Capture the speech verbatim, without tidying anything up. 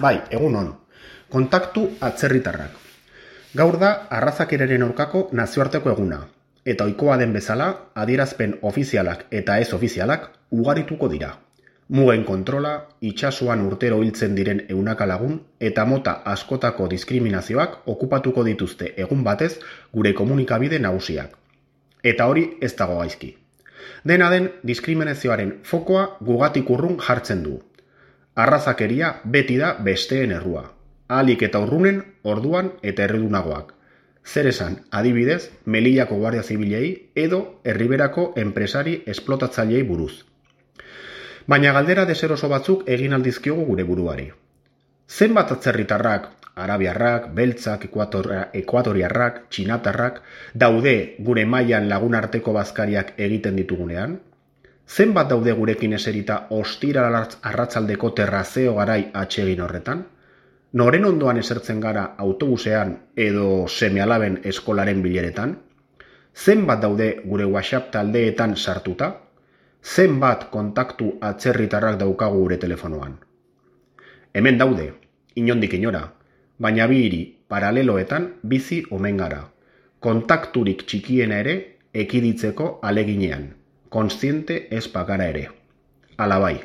Bai, egun on. Kontaktu atzerritarrak. Gaur da arrazakeraren aurkako nazioarteko eguna, eta ohikoa den bezala, adierazpen ofizialak eta ez ofizialak ugarituko dira. Mugen kontrola, itsasoan urtero hiltzen diren ehunaka lagun eta mota askotako diskriminazioak okupatuko dituzte egun batez gure komunikabide nagusiak. Eta hori ez dago gaizki. Dena den, diskriminazioaren fokoa gugatik urrun jartzen du. Arrazakeria beti da besteen errua. Ahalik eta urrunen, orduan eta erredunagoak. Zer esan, adibidez, Melillako Guardia Zibilei edo Erriberako enpresari esplotatzailei buruz. Baina galdera deseroso batzuk egin aldizkiogu gure buruari. Zenbat atzerritarrak, arabiarrak, beltzak, ekuatoriarrak, txinatarrak, daude gure mailan lagunarteko bazkariak egiten ditugunean? Zenbat daude gurekin eserita ostira arratsaldeko terrazeo garai atsegin horretan? Noren ondoan esertzen gara autobusean edo seme-alaben eskolaren bileretan? Zenbat daude gure WhatsApp taldeetan sartuta? Zenbat kontaktu atzerritarrak daukagu gure telefonoan? Hemen daude, inondik inora, baina bi hiri paraleloetan bizi omen gara. Kontakturik txikiena ere ekiditzeko aleginean, kontziente ez bagara ere. Hala bai.